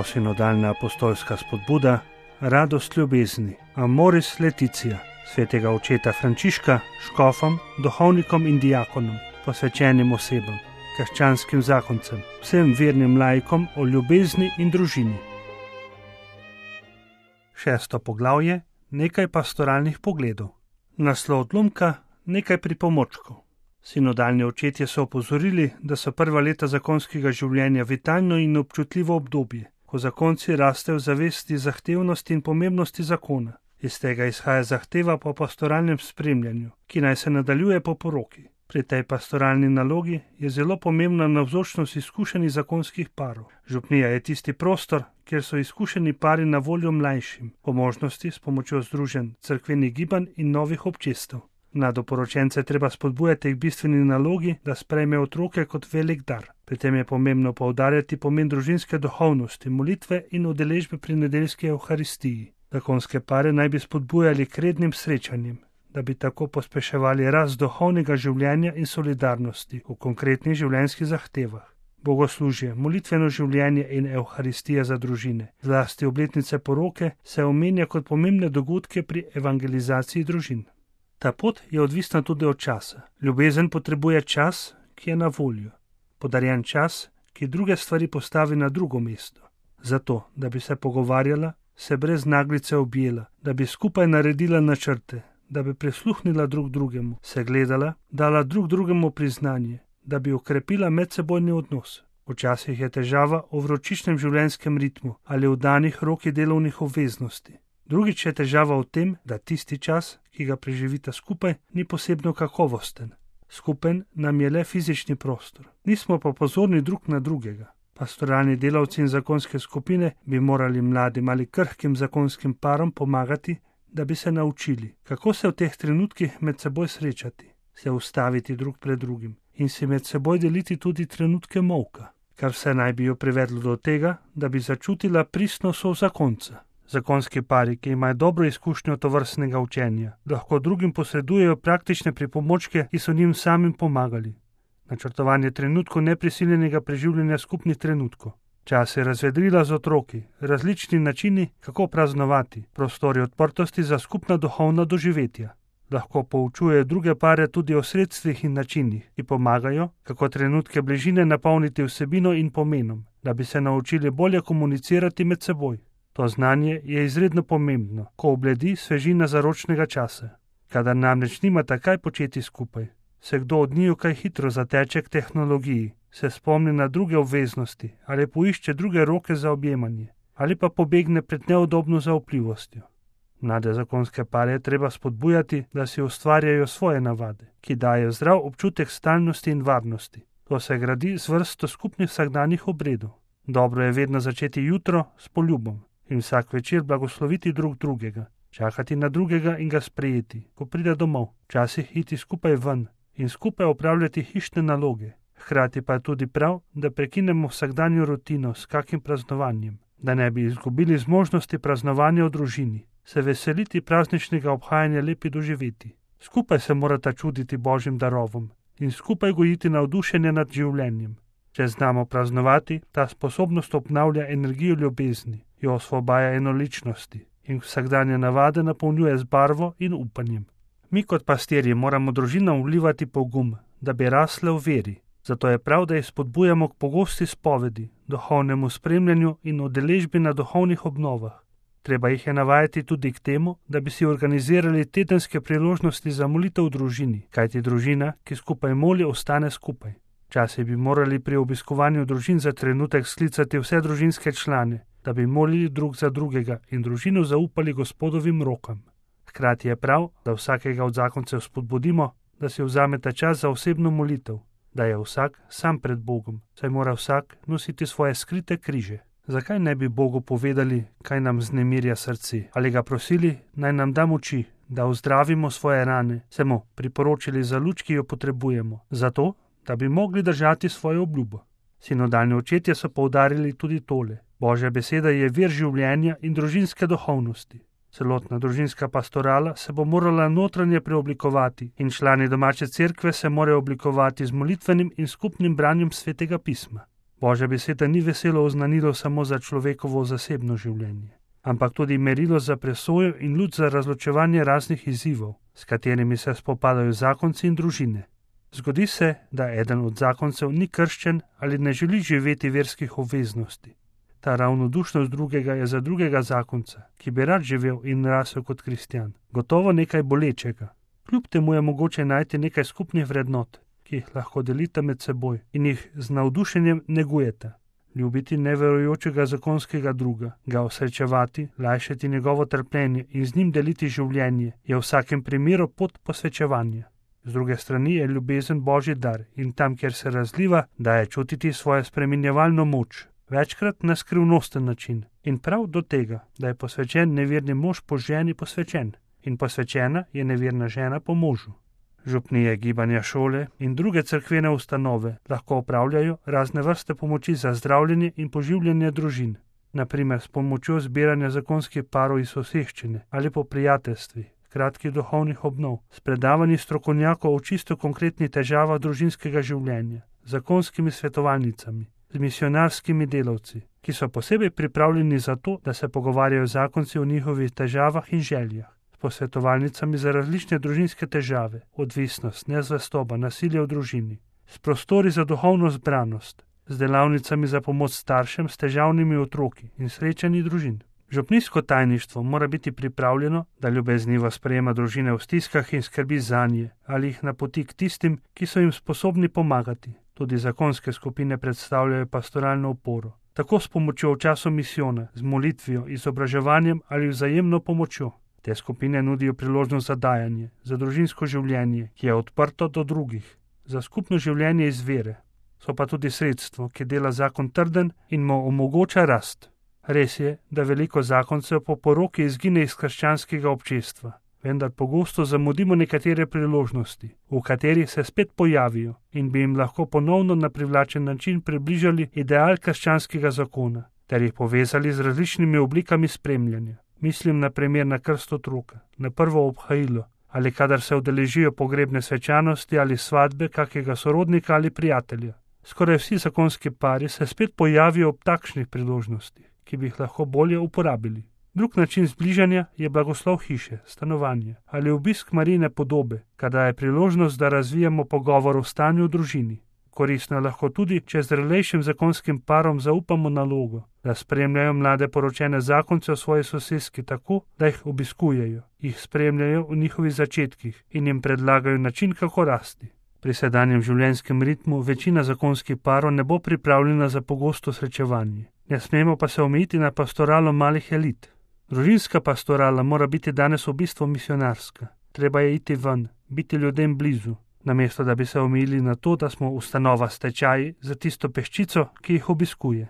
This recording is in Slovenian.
Novosinodalna apostolska spodbuda, radost ljubezni, Amoris Laetitia, svetega očeta Frančiška, škofom, duhovnikom in diakonom, posvečenim osebam, krščanskim zakoncem, vsem vernim laikom o ljubezni in družini. 6. poglavje, nekaj pastoralnih pogledov. Naslov odlomka, nekaj pripomočkov. Sinodalni očetje so opozorili, da so prva leta zakonskega življenja vitalno in občutljivo obdobje, ko zakonci rastejo v zavesti zahtevnosti in pomembnosti zakona. Iz tega izhaja zahteva po pastoralnem spremljanju, ki naj se nadaljuje po poroki. Pri tej pastoralni nalogi je zelo pomembna navzočnost izkušenih zakonskih parov. Župnija je tisti prostor, kjer so izkušeni pari na voljo mlajšim, po možnosti s pomočjo združenj, cerkvenih gibanj in novih občestev. Mladoporočence treba spodbujati k bistveni nalogi, da sprejme otroke kot velik dar. Pri tem je pomembno poudarjati pomen družinske duhovnosti, molitve in udeležbe pri nedeljski evharistiji. Zakonske pare naj bi spodbujali k rednim srečanjem, da bi tako pospeševali rast duhovnega življenja in solidarnosti v konkretnih življenjskih zahtevah. Bogoslužje, molitveno življenje in evharistija za družine, zlasti obletnice poroke, se omenja kot pomembne dogodke pri evangelizaciji družin. Ta pot je odvisna tudi od časa. Ljubezen potrebuje čas, ki je na voljo. Podarjen čas, ki druge stvari postavi na drugo mesto. Zato, da bi se pogovarjala, se brez naglice objela, da bi skupaj naredila načrte, da bi prisluhnila drug drugemu, se gledala, dala drug drugemu priznanje, da bi okrepila medsebojni odnos. Včasih je težava v vročičnem življenjskem ritmu ali v danih roki delovnih obveznosti. Drugič je težava v tem, da tisti čas, ki ga preživita skupaj, ni posebno kakovosten. Skupen nam je le fizični prostor. Nismo pa pozorni drug na drugega. Pastoralni delavci in zakonske skupine bi morali mladim ali krhkim zakonskim parom pomagati, da bi se naučili, kako se v teh trenutkih med seboj srečati, se ustaviti drug pred drugim in si med seboj deliti tudi trenutke molka, kar vse naj bi jo privedlo do tega, da bi začutila pristnost zakonca. Zakonski pari, ki imajo dobro izkušnjo tovrstnega učenja, lahko drugim posredujejo praktične pripomočke, ki so njim samim pomagali. Načrtovanje trenutkov neprisiljenega preživljanja skupnih trenutkov. Čas je razvedrila z otroki, različni načini, kako praznovati, prostori odprtosti za skupna duhovna doživetja. Lahko poučujejo druge pare tudi o sredstvih in načinih, ki pomagajo, kako trenutke bližine napolniti vsebino in pomenom, da bi se naučili bolje komunicirati med seboj. To znanje je izredno pomembno, ko obledi svežina zaročnega časa. Kadar namreč nimata kaj početi skupaj, se kdo od njiju kaj hitro zateče k tehnologiji, se spomni na druge obveznosti ali poišče druge roke za objemanje, ali pa pobegne pred neudobno zaupljivostjo. Mlade zakonske pare je treba spodbujati, da si ustvarjajo svoje navade, ki dajo zdrav občutek stalnosti in varnosti. To se gradi z vrsto skupnih vsakdanjih obredov. Dobro je vedno začeti jutro s poljubom in vsak večer blagosloviti drug drugega, čakati na drugega in ga sprejeti, ko pride domov, včasih iti skupaj ven in skupaj opravljati hišne naloge. Hkrati pa je tudi prav, da prekinemo vsakdanjo rutino s kakim praznovanjem, da ne bi izgubili zmožnosti praznovanja v družini, se veseliti prazničnega obhajanja lepi doživeti. Skupaj se morata čuditi Božjim darovom in skupaj gojiti navdušenje nad življenjem. Če znamo praznovati, ta sposobnost obnavlja energijo ljubezni, jo osvobaja enoličnosti in vsakdanje navade napolnjuje z barvo in upanjem. Mi kot pastirji moramo družinam vlivati pogum, da bi rasle v veri. Zato je prav, da jih spodbujamo k pogosti spovedi, duhovnemu spremljanju in udeležbi na duhovnih obnovah. Treba jih je navajati tudi k temu, da bi si organizirali tedenske priložnosti za molitev v družini, kajti družina, ki skupaj moli, ostane skupaj. Včasih bi morali pri obiskovanju družin za trenutek sklicati vse družinske člane, da bi molili drug za drugega in družino zaupali Gospodovim rokam. Hkrati je prav, da vsakega od zakoncev spodbudimo, da si vzameta čas za osebno molitev, da je vsak sam pred Bogom, saj mora vsak nositi svoje skrite križe. Zakaj ne bi Bogu povedali, kaj nam vznemirja srce, ali ga prosili, naj nam da moči, da ozdravimo svoje rane, se mu priporočili za luč, ki jo potrebujemo, zato, da bi mogli držati svojo obljubo. Sinodalni očetje so poudarili tudi tole. Božja beseda je vir življenja in družinske duhovnosti. Celotna družinska pastorala se bo morala notranje preoblikovati in člani domače cerkve se morajo oblikovati z molitvenim in skupnim branjem svetega pisma. Božja beseda ni veselo oznanilo samo za človekovo zasebno življenje, ampak tudi merilo za presojo in luč za razločevanje raznih izzivov, s katerimi se spopadajo zakonci in družine. Zgodi se, da eden od zakoncev ni krščen ali ne želi živeti verskih obveznosti. Ta ravnodušnost drugega je za drugega zakonca, ki bi rad živel in rasel kot kristjan, gotovo nekaj bolečega. Kljub temu je mogoče najti nekaj skupnih vrednot, ki jih lahko delite med seboj in jih z navdušenjem negujete. Ljubiti neverujočega zakonskega druga, ga osrečevati, lajšati njegovo trpljenje in z njim deliti življenje je v vsakem primeru pot posvečevanja. Z druge strani je ljubezen Božji dar in tam, kjer se razliva, daje čutiti svojo spreminjevalno moč, večkrat na skrivnosten način. In prav do tega, da je posvečen neverni mož po ženi posvečen in posvečena je neverna žena po možu. Župnije, gibanja, šole in druge cerkvene ustanove lahko opravljajo razne vrste pomoči za zdravljenje in poživljanje družin, naprimer s pomočjo zbiranja zakonskih parov iz soseščine ali po prijateljstvih, kratkih duhovnih obnov, s predavanji strokovnjakov o čisto konkretnih težavah družinskega življenja, zakonskimi svetovalnicami, z misionarskimi delavci, ki so posebej pripravljeni za to, da se pogovarjajo zakonci o njihovih težavah in željah, s posvetovalnicami za različne družinske težave, odvisnost, nezvestoba, nasilje v družini, s prostori za duhovno zbranost, z delavnicami za pomoč staršem s težavnimi otroki in srečanji družin. Župnijsko tajništvo mora biti pripravljeno, da ljubeznivo sprejema družine v stiskah in skrbi zanje ali jih napoti k tistim, ki so jim sposobni pomagati. Tudi zakonske skupine predstavljajo pastoralno oporo, tako s pomočjo v času misijona, z molitvijo, izobraževanjem ali vzajemno pomočjo. Te skupine nudijo priložnost za dajanje, za družinsko življenje, ki je odprto do drugih, za skupno življenje iz vere. So pa tudi sredstvo, ki dela zakon trden in mu omogoča rast. Res je, da veliko zakoncev po poroki izgine iz krščanskega občestva, vendar pogosto zamudimo nekatere priložnosti, v katerih se spet pojavijo in bi jim lahko ponovno na privlačen način približali ideal krščanskega zakona ter jih povezali z različnimi oblikami spremljanja. Mislim na primer na krst otroka, na prvo obhajilo ali kadar se udeležijo pogrebne svečanosti ali svadbe kakega sorodnika ali prijatelja. Skoraj vsi zakonski pari se spet pojavijo ob takšnih priložnostih, ki bi jih lahko bolje uporabili. Drug način zbližanja je blagoslov hiše, stanovanje ali obisk Marijine podobe, kadar je priložnost, da razvijamo pogovor o stanju v družini. Koristno je lahko tudi, če zrelejšim zakonskim parom zaupamo nalogo, da spremljajo mlade poročene zakonce v svoji soseski tako, da jih obiskujejo, jih spremljajo v njihovih začetkih in jim predlagajo način, kako rasti. Pri sedanjem življenjskem ritmu večina zakonskih parov ne bo pripravljena za pogosto srečevanje. Ne smemo pa se omejiti na pastoralo malih elit. Družinska pastorala mora biti danes v bistvu misionarska. Treba je iti ven, biti ljudem blizu, namesto da bi se omejili na to, da smo ustanova s tečaji za tisto peščico, ki jih obiskuje.